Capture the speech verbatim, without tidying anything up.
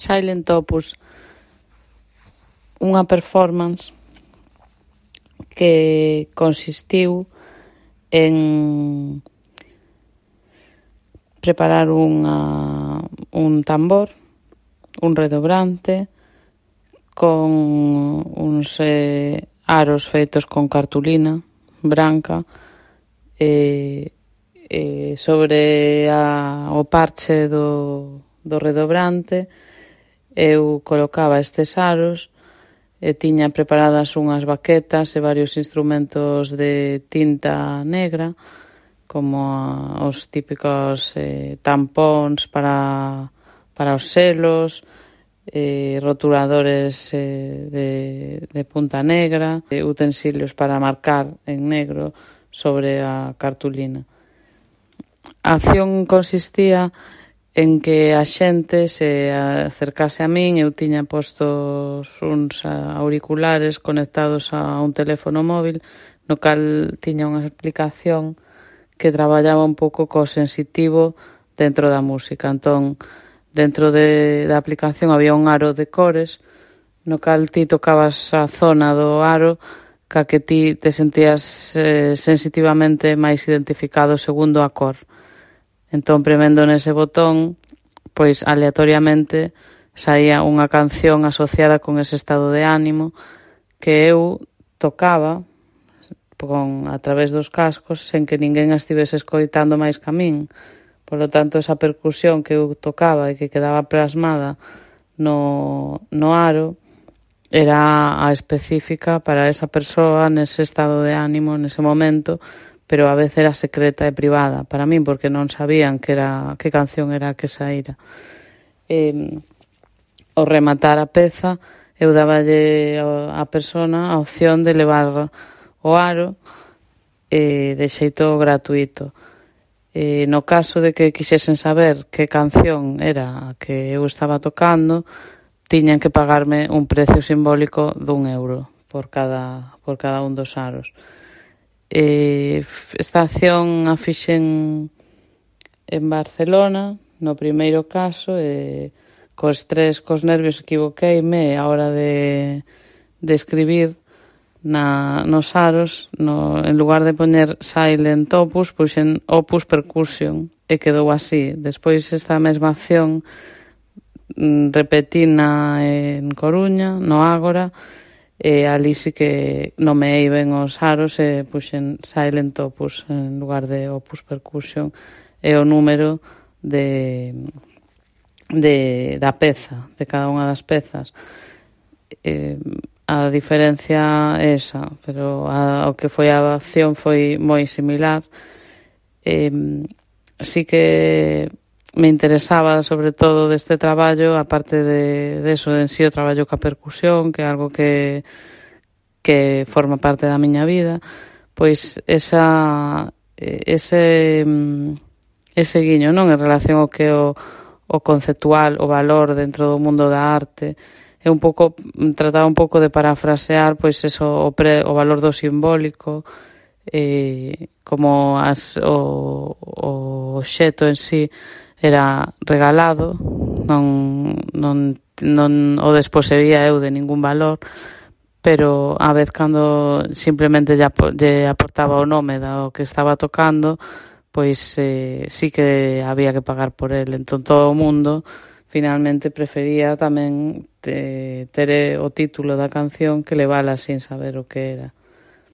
Silent Opus, unha performance que consistiu en preparar unha, un tambor, un redobrante, con uns eh, aros feitos con cartulina branca, e, e sobre a, o parche do, do redobrante eu colocaba estes aros e tiña preparadas unhas baquetas e varios instrumentos de tinta negra, como a, os típicos eh, tampóns para, para os selos, eh, rotuladores eh, de, de punta negra, eh, utensilios para marcar en negro sobre a cartulina. A acción consistía en que a xente se acercase a min. Eu tiña postos uns auriculares conectados a un teléfono móvil, no cal tiña unha explicación que traballaba un pouco co sensitivo dentro da música. Entón, dentro de, da aplicación había un aro de cores, no cal ti tocabas a zona do aro ca que ti te sentías eh, sensitivamente máis identificado segundo a cor. Entón, premendo nese botón, pois aleatoriamente saía unha canción asociada con ese estado de ánimo que eu tocaba con, a través dos cascos sen que ninguén a estivese escoitando máis que a min. Polo tanto, esa percusión que eu tocaba e que quedaba plasmada no, no aro era a específica para esa persoa nese estado de ánimo, nese momento, pero a vez era secreta e privada para min, porque non sabían que era que canción era a que saíra. E, ao rematar a peza, eu daballe á persona a opción de levar o aro e de xeito gratuito. E, no caso de que quixesen saber que canción era a que eu estaba tocando, tiñan que pagarme un precio simbólico dun euro por cada, por cada un dos aros. E esta acción a fixen en Barcelona, no primeiro caso, e co estrés, cos nervios equivoqueime a hora de, de escribir na, nos aros, no, en lugar de poñer Silent Opus, puxen Opus Percussion, e quedou así. Despois esta mesma acción repetina en Coruña, no Ágora, e ali sí que nomeei ben os aros e puxen Silent Opus en lugar de Opus Percussion e o número de, de da peza, de cada unha das pezas. E, a diferencia é esa, pero a, o que foi a acción foi moi similar. E, sí que me interesaba sobre todo deste traballo, aparte de, de eso, de en sí o traballo ca percusión, que é algo que, que forma parte da miña vida, pois esa, ese, ese guiño, non, en relación ao que o, o conceptual, o valor dentro do mundo da arte, é un pouco, trataba un pouco de parafrasear, pois eso, o, pre, o valor do simbólico, eh, como as, o, o xeto en sí era regalado, non, non, non o desposeía eu de ningún valor, pero a vez cando simplemente lle, lle aportaba o nome do que estaba tocando, pois eh, sí que había que pagar por el. Entón todo o mundo finalmente prefería tamén te, ter o título da canción que levala sin saber o que era.